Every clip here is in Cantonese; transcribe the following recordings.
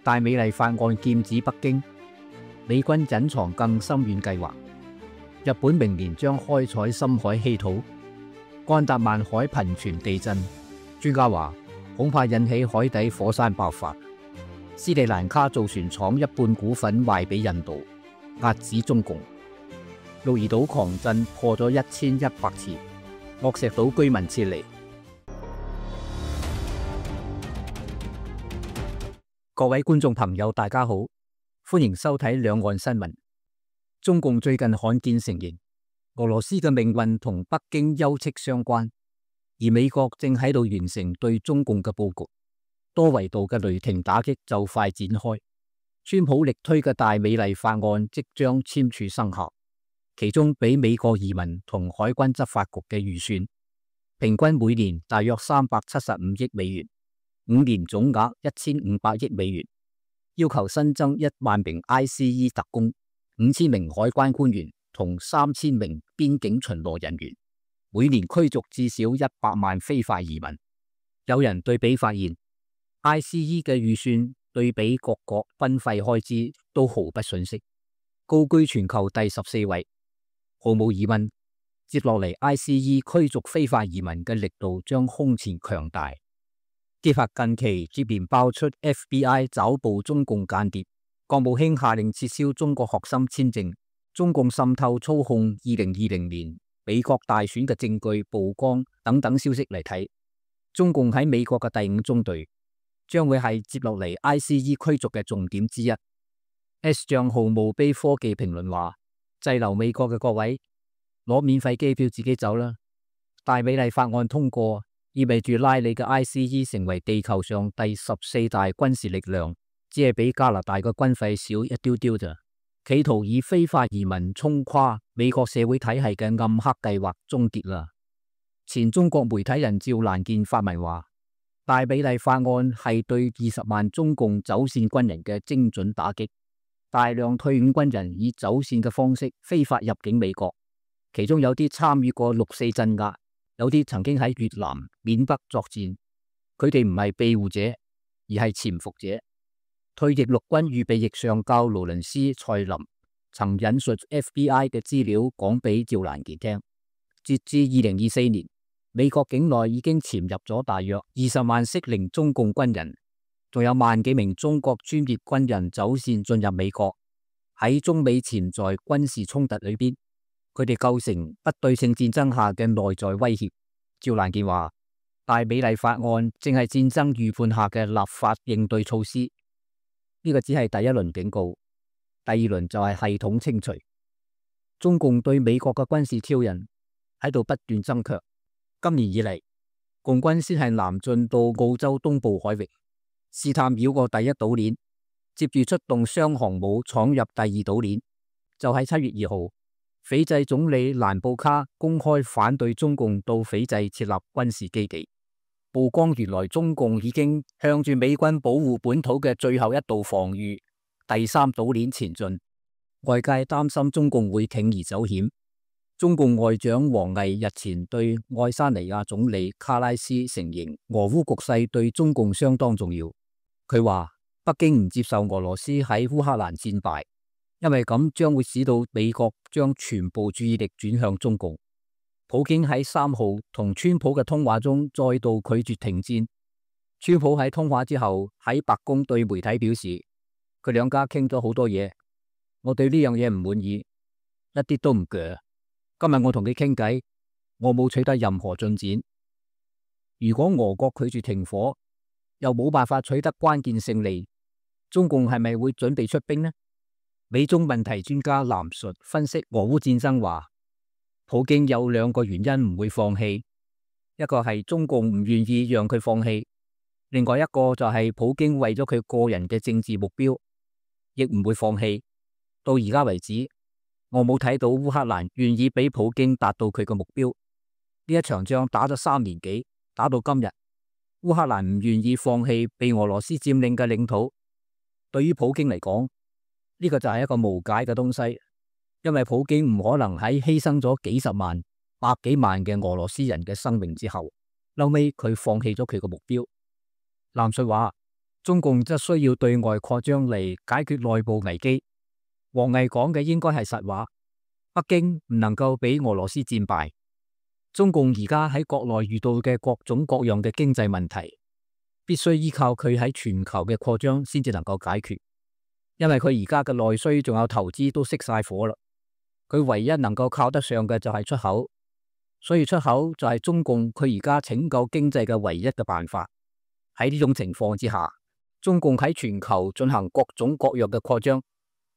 大美麗法案劍指北京，美軍隱藏更深遠計劃。日本明年將開採深海稀土。安達曼海頻傳地震，專家話恐怕引起海底火山爆發。斯里蘭卡造船廠一半股份賣俾印度，壓止中共。鹿兒島狂震破咗1100次，惡石島居民撤離。各位觀眾朋友，大家好，歡迎收睇兩岸新聞。中共最近罕見承認，俄羅斯嘅命運同北京休戚相關，而美國正喺度完成對中共嘅佈局，多維度嘅雷霆打擊就快展開。川普力推嘅大美麗法案即將簽署生效，其中俾美國移民同海軍執法局嘅預算，平均每年大約375億美元。5年總額1500億美元，要求新增1萬名 ICE 特工、5000名海關官員同3000名邊境巡邏人員，每年驅逐至少100萬非法移民。有人對比發現 ，ICE 嘅預算對比各國軍費開支都毫不遜色，高居全球第14位。毫無疑問，接落嚟 ICE 驅逐非法移民嘅力度將空前強大。結合近期接連爆出 FBI 抓捕中共間諜，國務卿下令撤銷中國學生簽證，中共滲透操控2020年美國大選嘅證據曝光等等消息嚟睇，中共喺美國嘅第5中隊將會係接落嚟 ICE 驅逐嘅重點之一。S 賬號墓碑科技評論話：滯留美國嘅各位，攞免費機票自己走啦！大美麗法案通過，意味住拉你嘅 ICE 成為地球上第14大軍事力量，只係比加拿大嘅軍費少一丟丟咋。企圖以非法移民衝垮美國社會體系嘅暗黑計劃終結啦。前中國媒體人趙蘭健發文話：大美麗法案係對20萬中共走線軍人嘅精準打擊，大量退伍軍人以走線嘅方式非法入境美國，其中有啲參與過6.4鎮壓。有啲曾經喺越南、緬北作戰，佢哋唔係庇護者，而係潛伏者。退役陸軍預備役上校勞倫斯·蔡林曾引述 FBI 嘅資料講俾趙蘭健聽，截至2024年，美國境內已經潛入咗大約20萬適齡中共軍人，仲有萬幾名中國專業軍人走線進入美國。喺中美潛在軍事衝突裏邊，佢哋構成不對稱戰爭下嘅內在威脅。趙蘭健話：大美麗法案正係戰爭預判下嘅立法應對措施。呢個只係第一輪警告，第二輪就係系統清除。中共對美國嘅軍事挑釁喺度不斷增強。今年以嚟，共軍先係南進到澳洲東部海域，試探繞過第一島鏈，接住出動雙航母闖入第二島鏈。就喺7月2號。斐濟總理蘭布卡公開反對中共到斐濟設立軍事基地，曝光原來中共已經向住美軍保護本土嘅最後一道防禦第3島鏈前進。外界擔心中共會鋌而走險。中共外長王毅日前對愛沙尼亞總理卡拉斯承認，俄烏局勢對中共相當重要。佢話北京唔接受俄羅斯喺烏克蘭戰敗，因為咁將會使到美國將全部注意力轉向中共。普京喺3號同川普嘅通話中再度拒絕停戰。川普喺通話之後喺白宮對媒體表示，佢兩家傾咗好多嘢，我對呢樣嘢唔滿意，一啲都唔鋸。今日我同佢傾偈，我冇取得任何進展。如果俄國拒絕停火，又冇辦法取得關鍵勝利，中共係咪會準備出兵呢？美中問題專家藍述分析俄烏戰爭話，普京有2個原因唔會放棄，一個係中共唔願意讓佢放棄，另外一個就係普京為咗佢個人嘅政治目標，亦唔會放棄。到而家為止，我冇睇到烏克蘭願意俾普京達到佢嘅目標。呢一場仗打咗3年幾，打到今日，烏克蘭唔願意放棄被俄羅斯佔領嘅領土。對於普京嚟講，呢個就係一個無解嘅東西，因為普京唔可能喺犧牲咗幾十萬、百幾萬嘅俄羅斯人嘅生命之後，後尾佢放棄咗佢嘅目標。藍述話，中共則需要對外擴張嚟解決內部危機。王毅講嘅應該係實話，北京唔能夠俾俄羅斯戰敗。中共而家喺國內遇到嘅各種各樣嘅經濟問題，必須依靠佢喺全球嘅擴張先至能夠解決。因為佢而家嘅內需仲有投資都熄晒火啦，佢唯一能夠靠得上嘅就係出口，所以出口就係中共佢而家拯救經濟嘅唯一嘅辦法。喺呢種情況之下，中共喺全球進行各種各樣嘅擴張，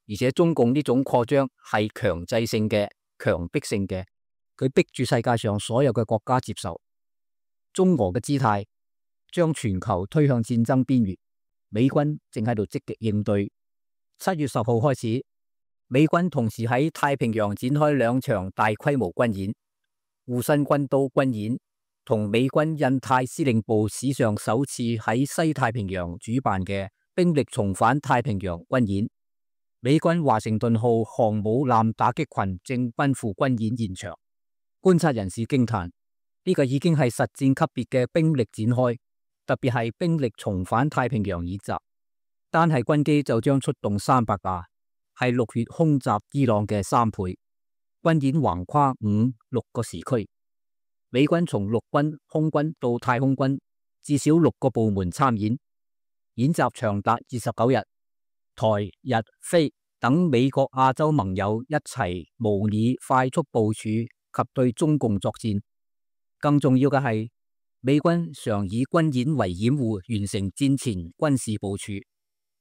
而且中共呢種擴張係強制性嘅、強迫性嘅，佢逼住世界上所有嘅國家接受。中俄嘅姿態將全球推向戰爭邊緣，美軍正喺度積極應對。7月10號開始，美軍同時喺太平洋展開2場大規模軍演，護身軍刀軍演同美軍印太司令部史上首次喺西太平洋主辦嘅兵力重返太平洋軍演。美軍華盛頓號航母艦打擊群正奔赴軍演現場，觀察人士驚嘆，呢個已經係實戰級別嘅兵力展開，特別係兵力重返太平洋演習，單係軍機就將出動300架，係6月空襲伊朗嘅3倍。軍演橫跨5、6個時區。美軍從陸軍、空軍到太空軍，至少6個部門參演，演習長達29日。台、日、菲等美國、亞洲盟友一齊模擬快速部署及對中共作戰。更重要嘅係，美軍常以軍演為掩護，完成戰前軍事部署。例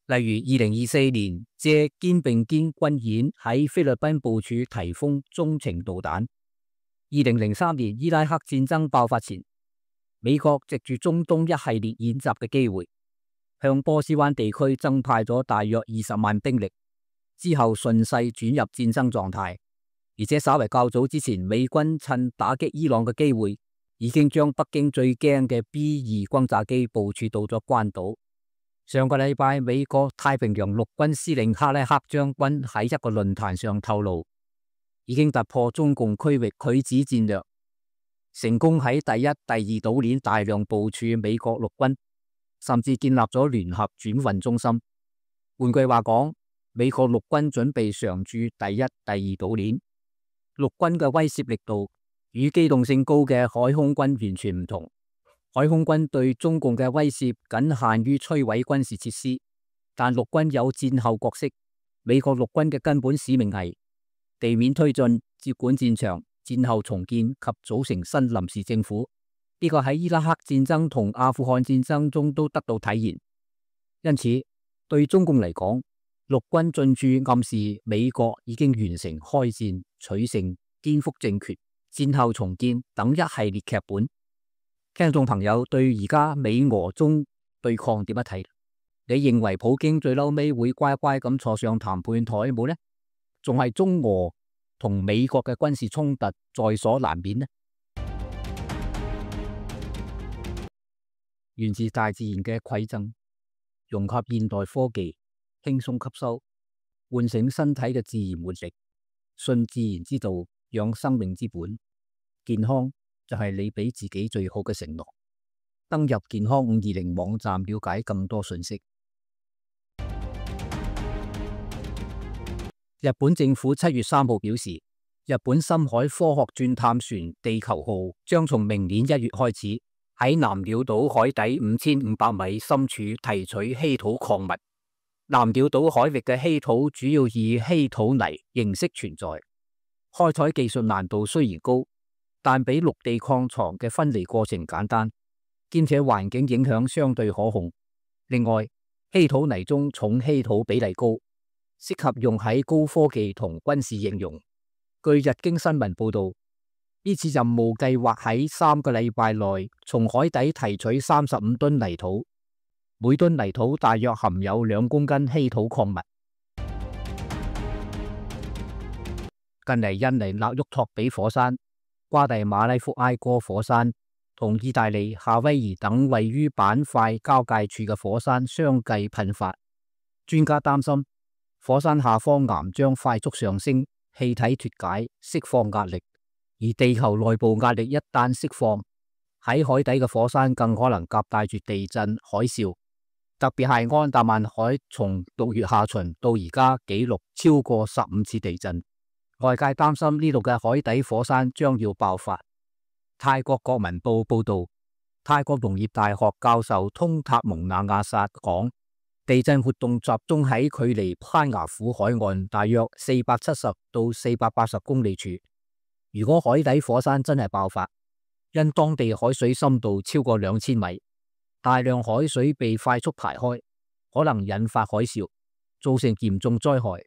如2024年借肩並肩軍演喺菲律賓部署颱風中程導彈。2003年伊拉克戰爭爆發前，美國藉住中東一系列演習嘅機會，向波斯灣地區增派咗大約20萬兵力，之後順勢轉入戰爭狀態。而且稍為較早之前，美軍趁打擊伊朗嘅機會，已經將北京最驚嘅 B-2轟炸機部署到咗關島。上個禮拜，美國太平洋陸軍司令克拉克將軍喺一個論壇上透露，已經突破中共區域拒止戰略，成功喺第一、第二島鏈大量部署美國陸軍，甚至建立咗聯合轉運中心。換句話講，美國陸軍準備常駐第一、第二島鏈。陸軍嘅威懾力度與機動性高嘅海空軍完全唔同。海空軍對中共嘅威懾僅限於摧毀軍事設施，但陸軍有戰後角色。美國陸軍嘅根本使命係地面推進、接管戰場、戰後重建及組成新臨時政府。呢個喺伊拉克戰爭同阿富汗戰爭中都得到體現。因此，對中共嚟講，陸軍進駐暗示美國已經完成開戰、取勝、顛覆政權、戰後重建等一系列劇本。聽眾朋友對而家美俄中對抗點樣睇？你認為普京最嬲尾會乖乖咁坐上談判台冇呢？仲係中俄同美國嘅軍事衝突在所難免呢？源自大自然嘅饋贈，融合現代科技，輕鬆吸收，喚醒身體嘅自然活力，信自然之道，養生命之本。健康就係你俾自己最好嘅承諾。登入健康520網站了解更多信息。日本政府7月3號表示，日本深海科學鑽探船地球號將從明年1月開始喺南鳥島海底5500米深處提取稀土礦物。南鳥島海域嘅稀土主要以稀土泥形式存在，開採技術難度雖然高，但比陸地礦床嘅分離過程簡單，兼且環境影響相對可控。另外，稀土泥中重稀土比例高，適合用喺高科技同軍事應用。據日經新聞報道，呢次任務計劃喺3個禮拜內從海底提取35噸泥土，每噸泥土大約含有2公斤稀土礦物。近嚟印尼納沃托比火山、瓜地馬拉福埃哥火山同意大利夏威夷等位於板塊交界處嘅火山相繼噴發，專家擔心火山下方岩漿快速上升，氣體脫解，釋放壓力，而地球內部壓力一旦釋放，喺海底嘅火山更可能夾帶住地震、海嘯。特別係安達曼海從6月下旬到而家紀錄超過15次地震，外界擔心呢度嘅海底火山將要爆發。泰國國民報報道，泰國農業大學教授通塔蒙那亞薩講，地震活動集中喺距離攀牙府海岸大約470到480公里處。如果海底火山真係爆發，因當地海水深度超過2000米，大量海水被快速排開，可能引發海嘯，造成嚴重災害。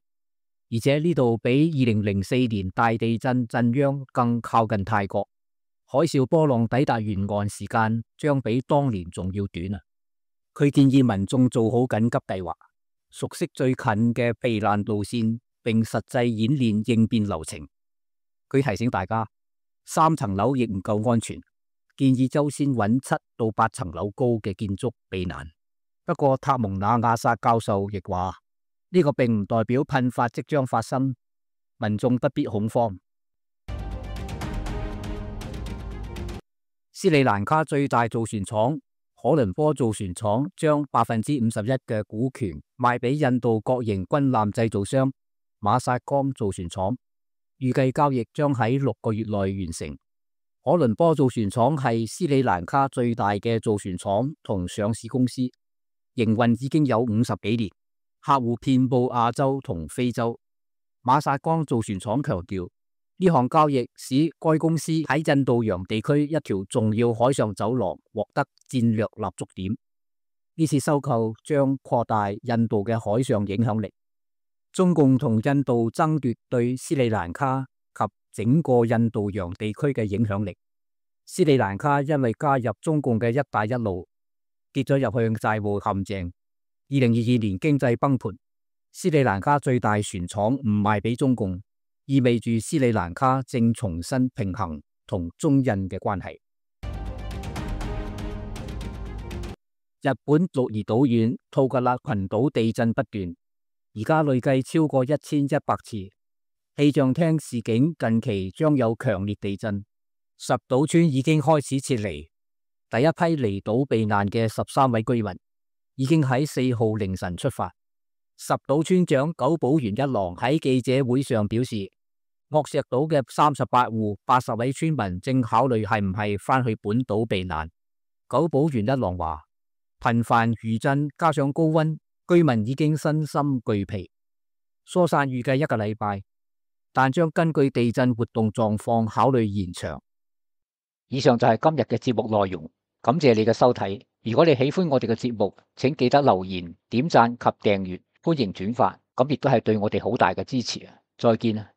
而且呢度比2004年大地震震央更靠近泰國，海嘯波浪抵達沿岸時間將比當年仲要短啊！佢建議民眾做好緊急計劃，熟悉最近嘅避難路線，並實際演練應變流程。佢提醒大家，3層樓亦唔夠安全，建議優先揾7到8層樓高嘅建築避難。不過塔蒙那亞薩教授亦話，呢個並唔代表噴發即將發生，民眾不必恐慌。斯里蘭卡最大造船廠可倫坡造船廠將51%嘅股權賣俾印度國營軍艦製造商馬薩江造船廠，預計交易將喺6個月內完成。可倫坡造船廠係斯里蘭卡最大嘅造船廠同上市公司，營運已經有50幾年，客戶遍佈亞洲同非洲。馬薩江造船廠強調，呢項交易使該公司喺印度洋地區一條重要海上走廊獲得戰略立足點。呢次收購將擴大印度嘅海上影響力。中共同印度爭奪對斯里蘭卡及整個印度洋地區嘅影響力。斯里蘭卡因為加入中共嘅一帶一路，跌咗入去債務陷阱。2022年經濟崩盤，斯里蘭卡最大船廠唔賣俾中共，意味住斯里蘭卡正重新平衡同中印嘅關係。日本鹿兒島縣吐格勒群島地震不斷，而家累計超過1100次。氣象廳示警近期將有強烈地震，十島村已經開始撤離。第一批離島避難嘅13位居民已經喺4號凌晨出發。十島村長久保元一郎喺記者會上表示，岳石島嘅38戶80位村民正考慮係唔係返去本島避難。久保元一郎話，頻繁餘震加上高溫，居民已經身心俱疲。疏散預計1個禮拜，但將根據地震活動狀況考慮延長。以上就係今日嘅節目內容，感謝你嘅收睇。如果你喜歡我哋嘅節目，請記得留言、點讚及訂閱，歡迎轉發，咁亦都係對我哋好大嘅支持啊！再見啊！